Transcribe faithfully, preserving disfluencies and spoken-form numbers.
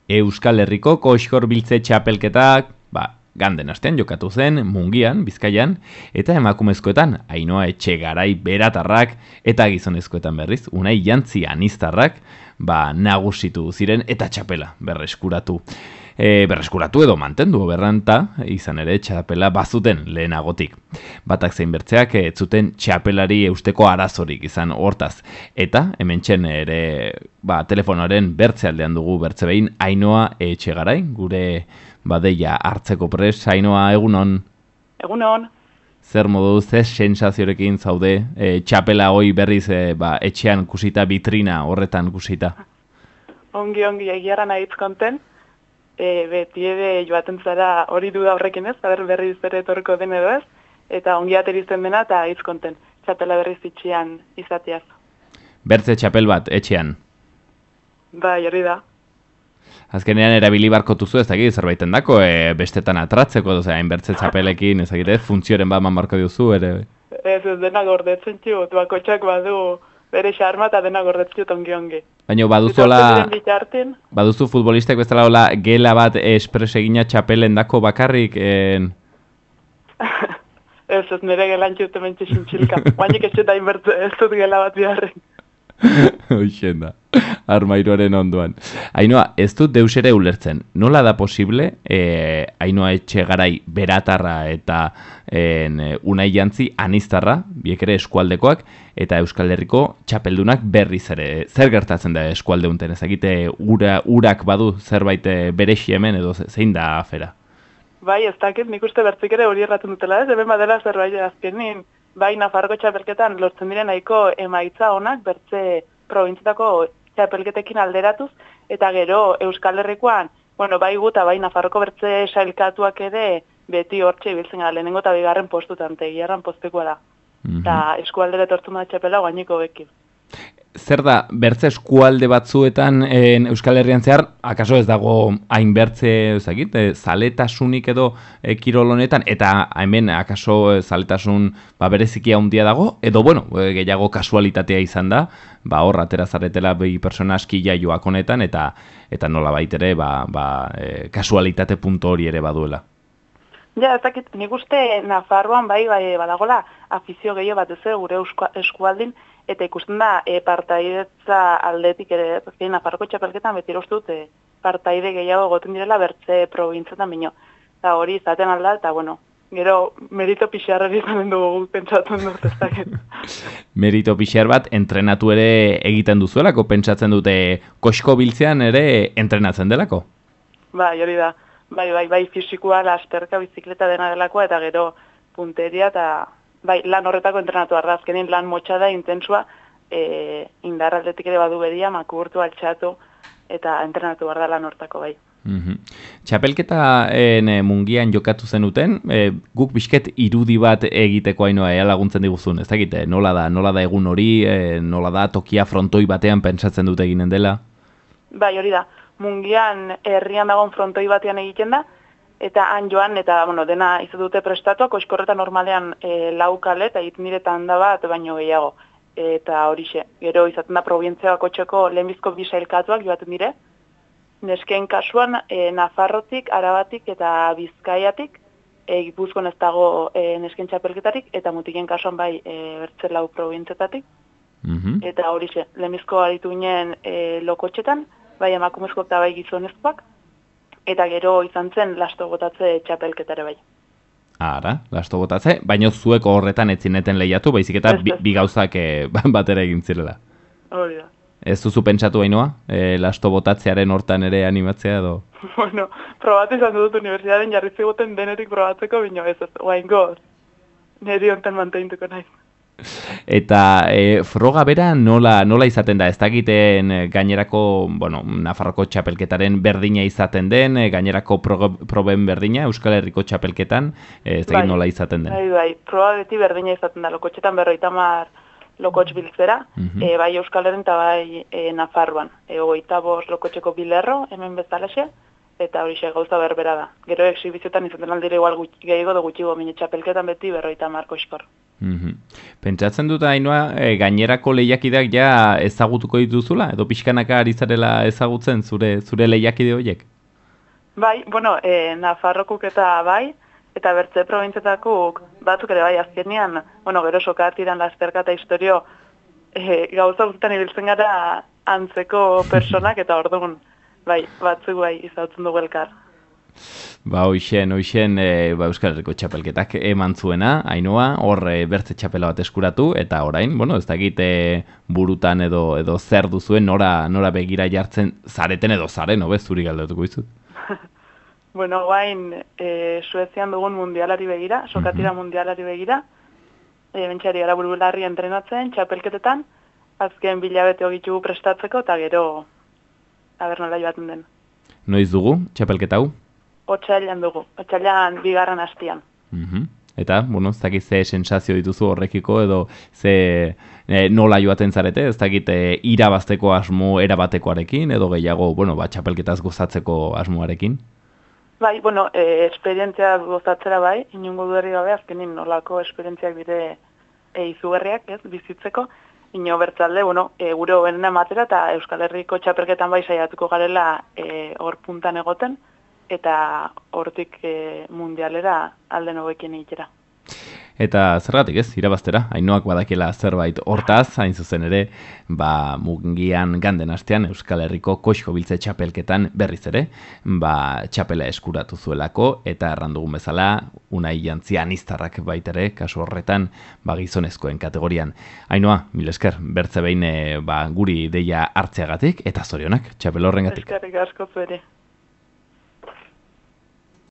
Euskal Herriko Koxkor Biltze txapelketak, ba, ganden astean jokatu zen, Mungian, Bizkaian, eta emakumezkoetan, Ainhoa Etxegarai Beratarrak, eta gizonezkoetan berriz, Unai Jantzi Aniztarrak, ba, nagusitu ziren, eta txapela berreskuratu. E, berreskuratu edo mantendu berranta, izan ere txapela bazuten lehenagotik. Batak zein bertzeak ez zuten txapelari eusteko arazorik izan hortaz. Eta, hemen txen ere, ba, telefonoaren bertze aldean dugu bertze behin, Ainhoa Etxegarai, gure badeia hartzeko pres. Ainhoa, egunon? Egunon. Zer modu, ze sensaziorekin zaude, e, txapela hoi berriz e, ba, etxean kusita, vitrina horretan kusita? Ongi, ongi, egiara nahi konten. E, beti ere joaten zara hori duda horrekin ez, aber berriz ere etorko den edo ez, eta ongi aterizten dena eta hitz konten, txapela berriz itxian izatiaz. Bertze txapel bat, etxean? Bai, hori da. Azkenean erabili barko tuzu ez dakit zerbaiten dako, e, bestetan atratzeko, doza, bertze txapelekin, ez dakit, funtzioren bat man barko duzu, ere? Ez, ez dena gordetzen txut, bakotxak badu bere xarma eta dena gordetzen ongi ongi. Baina baduzola, baduzu futbolistek bezala hola gela bat espres egina txapelen dako bakarrik? En... ez, ez nire gelan txute mentxe xintxilka. Bainik ez txeta inbertu, ez dut gela bat biharren. Hoixen da, armairuaren onduan. Ainhoa, ez dut deus ere ulertzen. Nola da posible, eh, Ainhoa Etxegarai Beratarra eta en, Unai Jantzi Aniztarra, biek ere eskualdekoak, eta Euskal Herriko txapeldunak berriz ere. Zer gertatzen da eskualde unten? Ezagite ura, urak badu zerbait berexi hemen edo zein da afera? Bai, ez dakit, nik uste bertzik ere hori erratzen dutela ez, hemen badela zerbait azkenin. Bai, Nafarroko txapelketan lortzen diren nahiko emaitza onak bertze probintzietako txapelketekin alderatuz, eta gero Euskal Herrikoan, bueno, bai guta, bai Nafarroko bertze sailkatuak ere beti hortxe ibiltzen gara, lehenengo eta bigarren postutan, tegiarran postekoa da. Eta eskualdera etortzen da txapela guainiko bekin. Zer da, bertze eskualde batzuetan en Euskal Herrian zehar, akaso ez dago hain bertze, ezagit, e, zaletasunik edo e, kirol honetan, eta hemen akaso e, zaletasun ba, berezikia handia dago, edo bueno, e, gehiago kasualitatea izan da, ba hor atera zaretela bi pertsona aski jaioak honetan, eta eta nola baitere ba, ba, e, kasualitate punto hori ere baduela. Ja, ez dakit, nik uste Nafarroan bai, bai badagola afizio gehiago bat ez gure eskualdin, eta ikusten da e, partaidetza aldetik ere, ezkein Nafarroko txapelketan beti uste dut e, partaide gehiago goten direla bertze probintzetan bino. Eta hori izaten alda, eta bueno, gero merito pixarrari izanen dugu pentsatzen dut ez dakit. Merito pixar bat entrenatu ere egiten duzuelako, pentsatzen dute koxko biltzean ere entrenatzen delako? Bai, hori da. Bai, bai, bai, fisikoa, lasterka, bizikleta dena delakoa, eta gero punteria, eta bai, lan horretako entrenatu arra, azkenin lan motxada, intensua, e, indar aldetik ere badu bedia, makurtu, altxatu, eta entrenatu behar da lan hortako, bai. Mm-hmm. Txapelketaen e, Mungian jokatu zenuten, e, guk bizket irudi bat egiteko Ainhoa ea laguntzen diguzun, ez dakit, nola da, nola da egun hori, e, nola da tokia frontoi batean pentsatzen dute eginen dela? Bai, hori da. Mungian herrian dagoen frontoi batean egiten da, eta han joan, eta bueno, dena izan dute prestatuak, koiskorreta normalean e, laukale, eta egiten diretan da bat, baino gehiago. Eta horixe, gero izaten da provintzia bakotxeko lehenbizko bisailkatuak joaten dire, nesken kasuan e, Nafarrotik, Arabatik eta Bizkaiatik, e, Gipuzkoan ez dago e, nesken txapelketarik, eta mutiken kasuan bai e, bertze lau provintzetatik, mm-hmm. Eta horixe, lehenbizko aritu ginen e, lokotxetan, bai emakumezko eta bai gizonezkoak, eta gero izan zen lasto botatze txapelketare bai. Ara, lasto botatze, baina zueko horretan etzineten lehiatu, baizik eta bi, bi gauzak e, batera egin zirela. Hori da. Ez duzu pentsatu Ainhoa, e, lasto botatzearen hortan ere animatzea edo? Bueno, probatu izan dut unibertsitatean jarri ziguten denetik probatzeko, bino ez ez, guain goz, niri honten manteintuko nahi. Eta e, froga bera nola, nola izaten da, ez dakiten gainerako, bueno, Nafarroko txapelketaren berdina izaten den, gainerako pro, proben berdina, Euskal Herriko txapelketan, ez dakit bai, nola izaten den? Bai, bai, proba beti berdina izaten da, lokotxetan berroita mar lokotx biltzera, mm-hmm. e, bai Euskal Herren eta bai e, Nafarroan, e, ogeita bost lokotxeko bilerro, hemen bezalaxe, eta hori xe gauza berbera da. Gero exhibiziotan izaten aldire igual gehiago da gutxigo, mine txapelketan beti berroita mar koxkor. Mm-hmm. Pentsatzen dut Ainhoa, e, gainerako lehiakideak ja ezagutuko dituzula, edo pixkanaka ari zarela ezagutzen zure zure lehiakide horiek? Bai, bueno, e, Nafarrokuk eta bai, eta bertze probintzetakuk batzuk ere bai, azkenean, bueno, gero sokatiran lasterka eta historio e, gauza guztan ibiltzen gara antzeko personak, eta orduan, bai, batzuk bai, izatzen dugu elkar. Ba, hoixen, hoixen, e, ba, Euskal Herriko txapelketak eman zuena, Ainhoa, hor e, bertze txapela bat eskuratu, eta orain, bueno, ez dakit e, burutan edo edo zer duzuen, nora, nora begira jartzen zareten edo zaren, hobe, zuri galdetuko izut. Bueno, guain, e, Suezian dugun mundialari begira, sokatira Mhm. mundialari begira, e, bentxari gara burularri entrenatzen, txapelketetan, azken bilabete hogitugu prestatzeko, eta gero, aber nola joaten den. Noiz dugu, txapelketa hau? Otsailean dugu, otsailean bigarren hastian. Mhm. Eta, bueno, ez dakit ze sensazio dituzu horrekiko, edo ze e, nola joaten zarete, ez dakit e, irabazteko asmo erabatekoarekin, edo gehiago, bueno, ba, txapelketaz gozatzeko asmoarekin? Bai, bueno, e, esperientzia gozatzera bai, inungo duerri gabe, azkenin nolako esperientziak dire e, izugarriak, ez, bizitzeko, ino bertzalde, bueno, e, gure hobenena ematera, eta Euskal Herriko txapelketan bai saiatuko garela e, hor puntan egoten, eta hortik e, mundialera alden hobekin egitera. Eta zergatik ez, irabaztera, Ainhoak badakiela zerbait hortaz, hain zuzen ere, ba, Mungian ganden astean Euskal Herriko koxko biltze txapelketan berriz ere, ba, txapela eskuratu zuelako, eta errandugun bezala, Unai Jantzia aniztarrak baitere, kasu horretan, ba, gizonezkoen kategorian. Ainhoa, mil esker, bertze behin e, ba, guri deia hartzeagatik, eta zorionak, txapel horrengatik. Eskerrik asko zuere.